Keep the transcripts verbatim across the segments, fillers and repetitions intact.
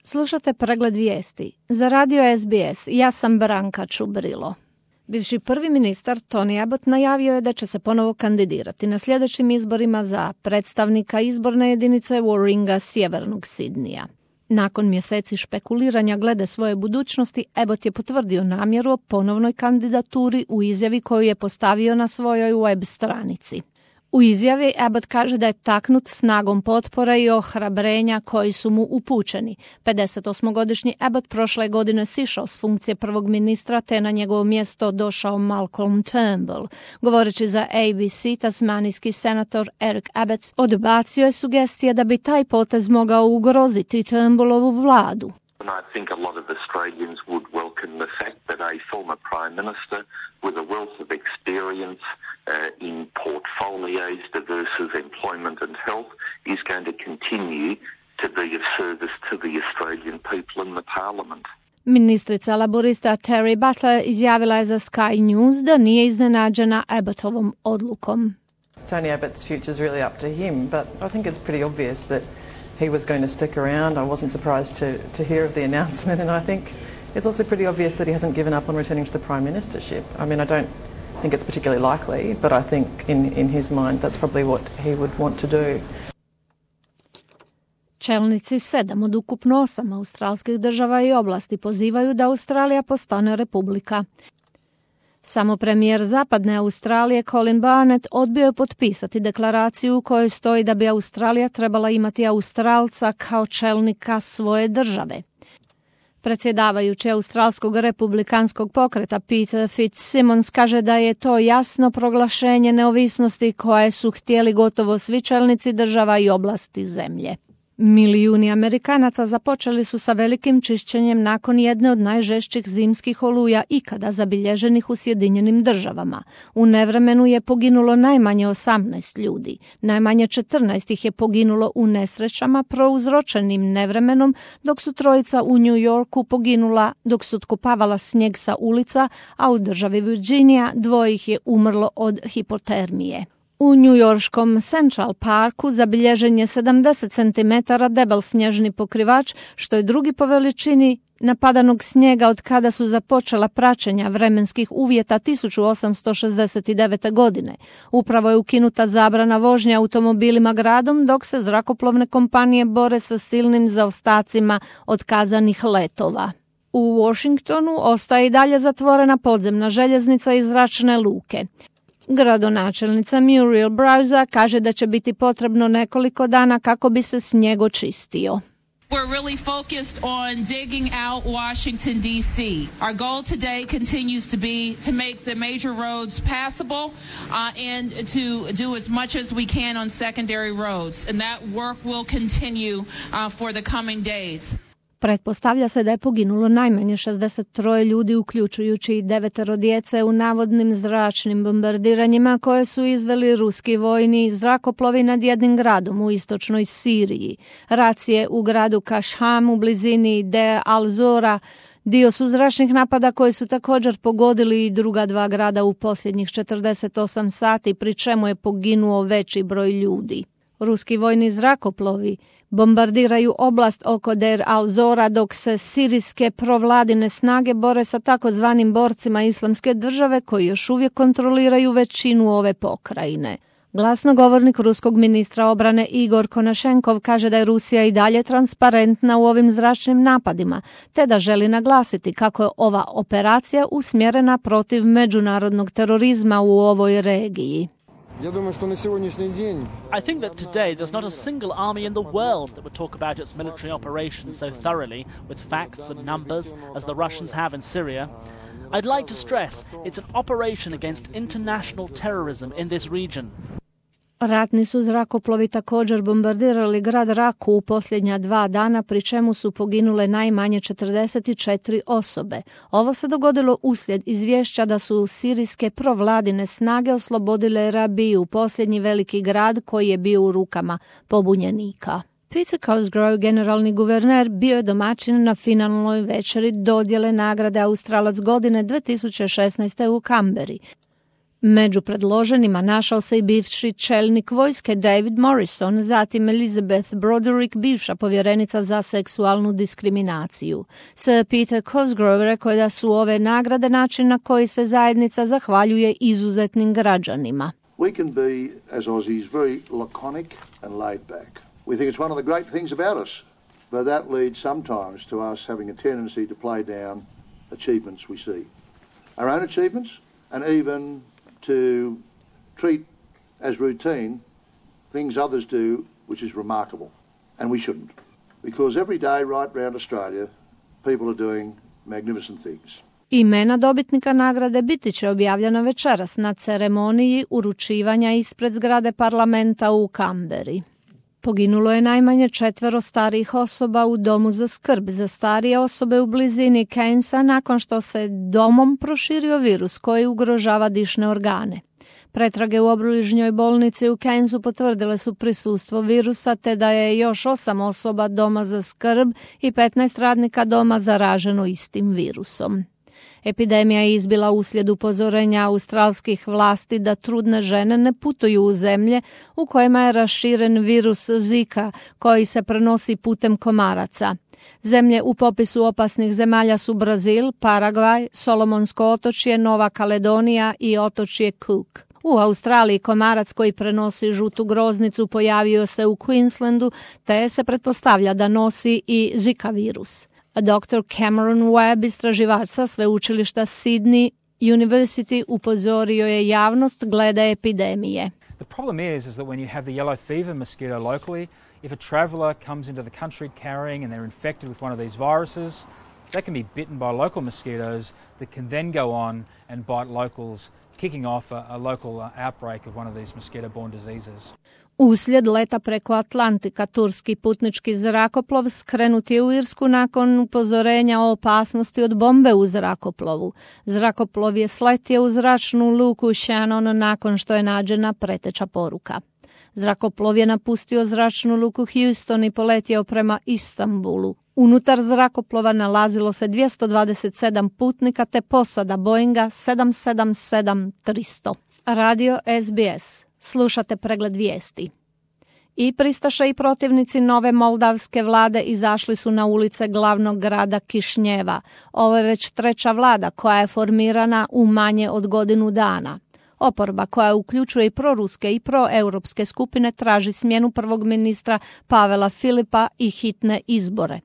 Slušate pregled vijesti. Za radio S B S ja sam Branka Čubrilo. Bivši prvi ministar Tony Abbott najavio je da će se ponovo kandidirati na sljedećim izborima za predstavnika izborne jedinice Warringa sjevernog Sidnija. Nakon mjeseci špekuliranja glede svoje budućnosti, Abbott je potvrdio namjeru o ponovnoj kandidaturi u izjavi koju je postavio na svojoj web stranici. U izjavi Abbott kaže da je taknut snagom potpore i ohrabrenja koji su mu upućeni. pedesetosmogodišnji Abbott prošle godine sišao s funkcije prvog ministra te na njegovo mjesto došao Malcolm Turnbull. Govoreći za A B C, tasmanijski senator Eric Abetz odbacio je sugestije da bi taj potez mogao ugroziti Turnbullovu vladu. And I think a lot of Australians would welcome the fact that a former Prime Minister with a wealth of experience uh, in portfolios, diverse as employment and health, is going to continue to be of service to the Australian people in the Parliament. Ministrica laborista Terry Butler izjavila je za Sky News da nije iznenađena Abbottovom odlukom. Tony Abbott's future is really up to him, but I think it's pretty obvious that he was going to stick around. I wasn't surprised to, to hear of the announcement, and I think it's also pretty obvious that he hasn't given up on returning to the prime ministership. I mean, I don't think it's particularly likely, but I think in, in his mind that's probably what he would want to do. Čelnici sedam od ukupno osam australskih država i oblasti pozivaju da Australija postane republika. Samo premijer zapadne Australije Colin Barnett odbio je potpisati deklaraciju u kojoj stoji da bi Australija trebala imati Australca kao čelnika svoje države. Predsjedavajući Australskog republikanskog pokreta Peter Fitzsimmons kaže da je to jasno proglašenje neovisnosti koje su htjeli gotovo svi čelnici država i oblasti zemlje. Milijuni Amerikanaca započeli su sa velikim čišćenjem nakon jedne od najžešćih zimskih oluja ikada zabilježenih u Sjedinjenim državama. U nevremenu je poginulo najmanje osamnaest ljudi. Najmanje četrnaest ih je poginulo u nesrećama prouzročenim nevremenom, dok su trojica u New Yorku poginula dok su otkopavala snijeg sa ulica, a u državi Virginia dvoje ih je umrlo od hipotermije. U njujorškom Central Parku zabilježen je sedamdeset centimetara debel snježni pokrivač, što je drugi po veličini napadanog snijega od kada su započela praćenja vremenskih uvjeta tisuću osamsto šezdeset devete. godine. Upravo je ukinuta zabrana vožnje automobilima gradom, dok se zrakoplovne kompanije bore sa silnim zaostacima otkazanih letova. U Washingtonu ostaje i dalje zatvorena podzemna željeznica i zračne luke. Gradonačelnica Muriel Browser kaže da će biti potrebno nekoliko dana kako bi se snijeg očistio. We're really focused on digging out Washington, D C. Our goal today continues to be to make the major roads passable uh, and to do as much as we can on secondary roads. And that work will continue uh, for the coming days. Pretpostavlja se da je poginulo najmanje šezdeset tri ljudi, uključujući i devetero djece u navodnim zračnim bombardiranjima koje su izveli ruski vojni zrakoplovi nad jednim gradom u istočnoj Siriji. Racije u gradu Kashham u blizini Deir al-Zora dio su zračnih napada koji su također pogodili i druga dva grada u posljednjih četrdeset osam sati, pri čemu je poginuo veći broj ljudi. Ruski vojni zrakoplovi bombardiraju oblast oko Deir al-Zora, dok se sirijske provladine snage bore sa takozvanim borcima Islamske države koji još uvijek kontroliraju većinu ove pokrajine. Glasnogovornik ruskog ministra obrane Igor Konašenkov kaže da je Rusija i dalje transparentna u ovim zračnim napadima, te da želi naglasiti kako je ova operacija usmjerena protiv međunarodnog terorizma u ovoj regiji. I think that today there's not a single army in the world that would talk about its military operations so thoroughly with facts and numbers as the Russians have in Syria. I'd like to stress it's an operation against international terrorism in this region. Ratni su zrakoplovi također bombardirali grad Raku u posljednja dva dana, pri čemu su poginule najmanje četrdeset četiri osobe. Ovo se dogodilo uslijed izvješća da su sirijske provladine snage oslobodile Rabiju, posljednji veliki grad koji je bio u rukama pobunjenika. Peter Cosgrove, generalni guverner, bio je domaćin na finalnoj večeri dodjele nagrade Australac godine dvije tisuće šesnaeste. u Kamberi. Među predloženima našao se i bivši čelnik vojske David Morrison, zatim Elizabeth Broderick, bivša povjerenica za seksualnu diskriminaciju. Sir Peter Cosgrove rekao je da su ove nagrade način na koji se zajednica zahvaljuje izuzetnim građanima. We can be, as Aussies, very laconic and laid back. We think it's one of the great things about us, but that leads sometimes to us having a tendency to play down achievements we see. Our own achievements, and even to treat as routine things others do, which is remarkable. And we shouldn't. Because every day right round Australia, people are doing magnificent things. Imena dobitnika nagrade biti će objavljena večeras na ceremoniji uručivanja ispred zgrade parlamenta u Kamberi. Poginulo je najmanje četvero starijih osoba u domu za skrb za starije osobe u blizini Cairnsa nakon što se domom proširio virus koji ugrožava dišne organe. Pretrage u obližnjoj bolnici u Cairnsu potvrdile su prisustvo virusa, te da je još osam osoba doma za skrb i petnaest radnika doma zaraženo istim virusom. Epidemija je izbila uslijed upozorenja australskih vlasti da trudne žene ne putuju u zemlje u kojima je raširen virus Zika koji se prenosi putem komaraca. Zemlje u popisu opasnih zemalja su Brazil, Paragvaj, Solomonsko otočje, Nova Kaledonija i otočje Cook. U Australiji komarac koji prenosi žutu groznicu pojavio se u Queenslandu, te se pretpostavlja da nosi i Zika virus. doktor Cameron Webb, istraživač sa sveučilišta Sydney University, upozorio je javnost glede epidemije. The problem is, is that when you have the yellow fever mosquito locally, if a traveller comes into the country carrying and they're infected with one of these viruses, they can be bitten by local mosquitoes that can then go on and bite locals, kicking off a, a local outbreak of one of these mosquito-borne diseases. Uslijed leta preko Atlantika, turski putnički zrakoplov skrenut je u Irsku nakon upozorenja o opasnosti od bombe u zrakoplovu. Zrakoplov je sletio u zračnu luku Shannon nakon što je nađena preteča poruka. Zrakoplov je napustio zračnu luku Houston i poletio prema Istanbulu. Unutar zrakoplova nalazilo se dvjesto dvadeset sedam putnika te posada Boeinga sedam sedam sedam tristo. Radio S B S. Slušate pregled vijesti. I pristaše i protivnici nove moldavske vlade izašli su na ulice glavnog grada Kišnjeva. Ovo je već treća vlada koja je formirana u manje od godinu dana. Oporba, koja uključuje i proruske i proeuropske skupine, traži smjenu prvog ministra Pavela Filipa i hitne izbore.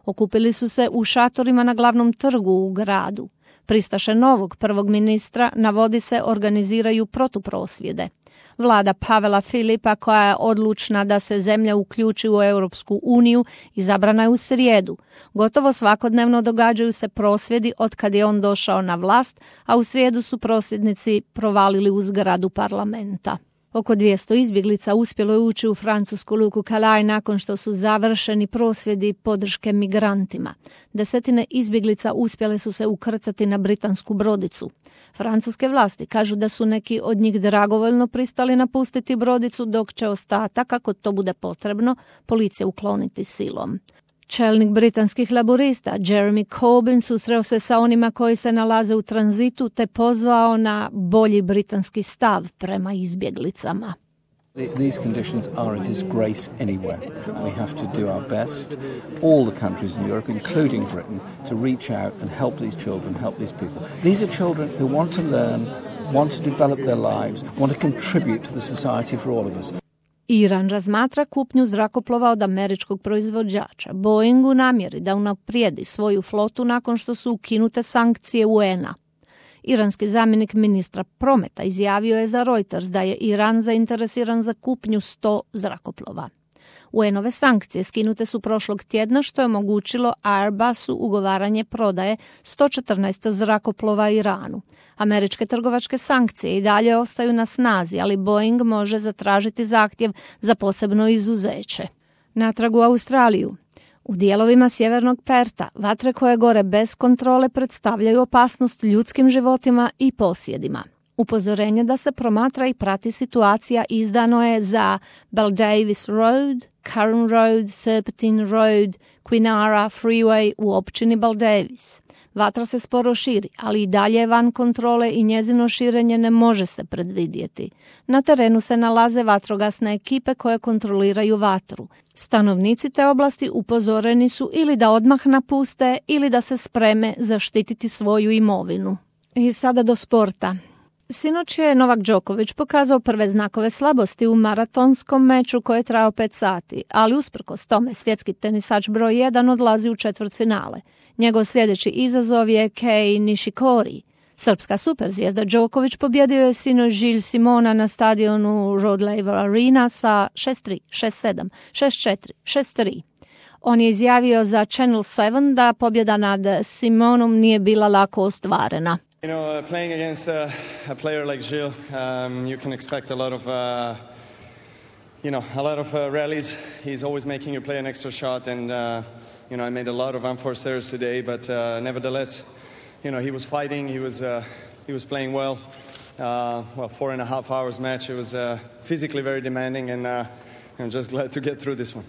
Okupili su se u šatorima na glavnom trgu u gradu. Pristaše novog prvog ministra, navodi se, organiziraju protuprosvjede. Vlada Pavela Filipa, koja je odlučna da se zemlja uključi u Europsku uniju, izabrana je u srijedu. Gotovo svakodnevno događaju se prosvjedi od kad je on došao na vlast, a u srijedu su prosvjednici provalili u zgradu parlamenta. Oko dvjesto izbjeglica uspjelo je ući u francusku luku Calais nakon što su završeni prosvjedi podrške migrantima. Desetine izbjeglica uspjele su se ukrcati na britansku brodicu. Francuske vlasti kažu da su neki od njih dragovoljno pristali napustiti brodicu, dok će ostatak, ako to bude potrebno, policija ukloniti silom. Čelnik britanskih laborista Jeremy Corbyn susreo se sa onima koji se nalaze u tranzitu te pozvao na bolji britanski stav prema izbjeglicama. These conditions are a disgrace anywhere. We have to do our best, all the countries in Europe, including Britain, to reach out and help these children, help these people. These are children who want to learn, want to develop their lives, want to contribute to the society for all of us. Iran razmatra kupnju zrakoplova od američkog proizvođača Boeing u namjeri da unaprijedi svoju flotu nakon što su ukinute sankcije U N-a. Iranski zamjenik ministra prometa izjavio je za Reuters da je Iran zainteresiran za kupnju sto zrakoplova. U N-ove sankcije skinute su prošlog tjedna, što je omogućilo Airbusu ugovaranje prodaje sto četrnaest zrakoplova Iranu. Američke trgovačke sankcije i dalje ostaju na snazi, ali Boeing može zatražiti zahtjev za posebno izuzeće. Natrag u Australiju. U dijelovima sjevernog Perta vatre koje gore bez kontrole predstavljaju opasnost ljudskim životima i posjedima. Upozorenje da se promatra i prati situacija izdano je za Baldavis Road, Curran Road, Serpentine Road, Quinara Freeway u općini Baldavis. Vatra se sporo širi, ali i dalje je van kontrole i njezino širenje ne može se predvidjeti. Na terenu se nalaze vatrogasne ekipe koje kontroliraju vatru. Stanovnici te oblasti upozoreni su ili da odmah napuste ili da se spreme zaštititi svoju imovinu. I sada do sporta. Sinoć je Novak Đoković pokazao prve znakove slabosti u maratonskom meču koji je trajao pet sati, ali usprkos tome svjetski tenisač broj jedan odlazi u četvrtfinale. Njegov sljedeći izazov je Kei Nishikori. Srpska superzvijezda Đoković pobjedio je sinoć Gilles Simona na stadionu Rod Laver Arena sa šest tri, šest sedam, šest četiri, šest tri. On je izjavio za Channel sedam da pobjeda nad Simonom nije bila lako ostvarena. You know, uh, playing against a, a player like Gilles, um, you can expect a lot of, uh, you know, a lot of uh, rallies. He's always making you play an extra shot, and uh, you know, I made a lot of unforced errors today, but uh, nevertheless, you know, he was fighting. He was, uh, he was playing well. Uh, well, four and a half hours match. It was uh, physically very demanding, and uh, I'm just glad to get through this one.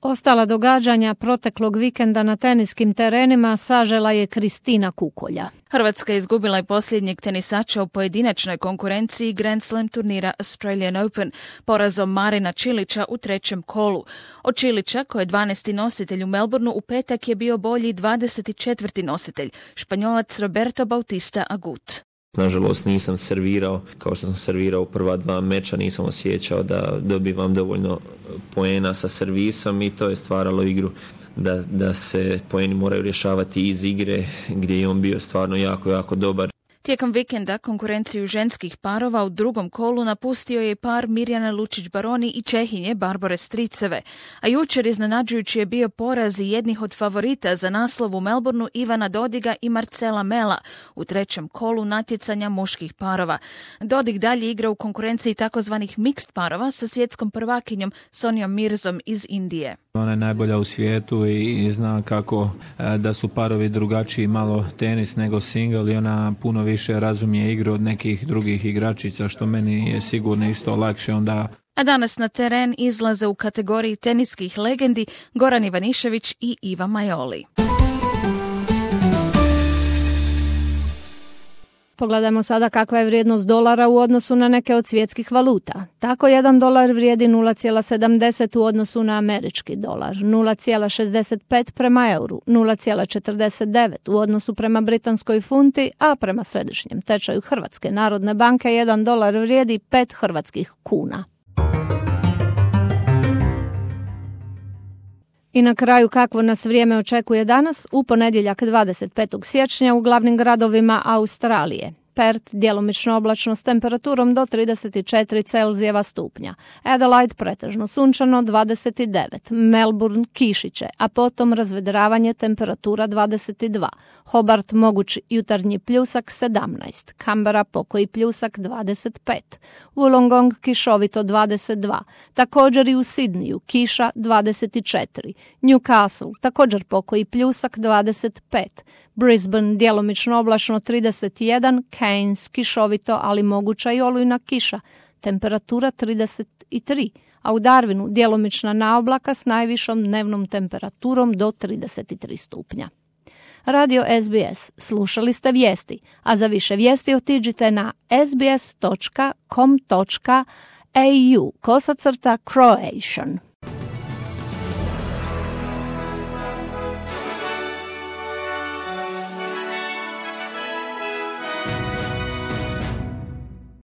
Ostala događanja proteklog vikenda na teniskim terenima sažela je Kristina Kukolja. Hrvatska izgubila je posljednjeg tenisača u pojedinačnoj konkurenciji Grand Slam turnira Australian Open porazom Marina Čilića u trećem kolu. Od Čilića, koji je dvanaesti nositelj u Melbourneu, u petak je bio bolji dvadeset četvrti nositelj, Španjolac Roberto Bautista Agut. Nažalost nisam servirao kao što sam servirao u prva dva meča, nisam osjećao da dobivam dovoljno poena sa servisom i to je stvaralo igru da, da se poeni moraju rješavati iz igre gdje je on bio stvarno jako, jako dobar. Tijekom vikenda konkurenciju ženskih parova u drugom kolu napustio je par Mirjana Lučić-Baroni i Čehinje Barbore Striceve, a jučer iznenađujući je bio poraz jednih od favorita za naslov u Melbourneu Ivana Dodiga i Marcela Mela u trećem kolu natjecanja muških parova. Dodig dalje igra u konkurenciji takozvanih mixed parova sa svjetskom prvakinjom Sonjom Mirzom iz Indije. Ona je najbolja u svijetu i zna kako da su parovi drugačiji malo tenis nego single i ona puno više razumije igru od nekih drugih igračica, što meni je sigurno isto lakše onda. A danas na teren izlaze u kategoriji teniskih legendi Goran Ivanišević i Iva Majoli. Pogledajmo sada kakva je vrijednost dolara u odnosu na neke od svjetskih valuta. Tako jedan dolar vrijedi nula zarez sedamdeset u odnosu na američki dolar, nula zarez šezdeset pet prema euru, nula zarez četrdeset devet u odnosu prema britanskoj funti, a prema središnjem tečaju Hrvatske narodne banke jedan dolar vrijedi pet hrvatskih kuna. I na kraju kakvo nas vrijeme očekuje danas, u ponedjeljak dvadeset petog siječnja u glavnim gradovima Australije. Perth djelomično oblačno s temperaturom do trideset četiri Celzijeva stupnja. Adelaide pretežno sunčano dvadeset devet. Melbourne kišiće, a potom razvedravanje temperatura dvadeset dva. Hobart moguć jutarnji pljusak sedamnaest. Canberra pokoji pljusak dvadeset pet. Wollongong kišovito dvadeset dva. Također i u Sidniju kiša dvadeset četiri. Newcastle također pokoji pljusak dvadeset pet. Brisbane djelomično oblačno trideset jedan, Cairns kišovito ali moguća i olujna kiša, temperatura trideset tri, a u Darwinu djelomična naoblaka s najvišom dnevnom temperaturom do trideset tri stupnja. Radio S B S, slušali ste vijesti, a za više vijesti otiđite na sbs dot com dot a u kosacrta Croatian.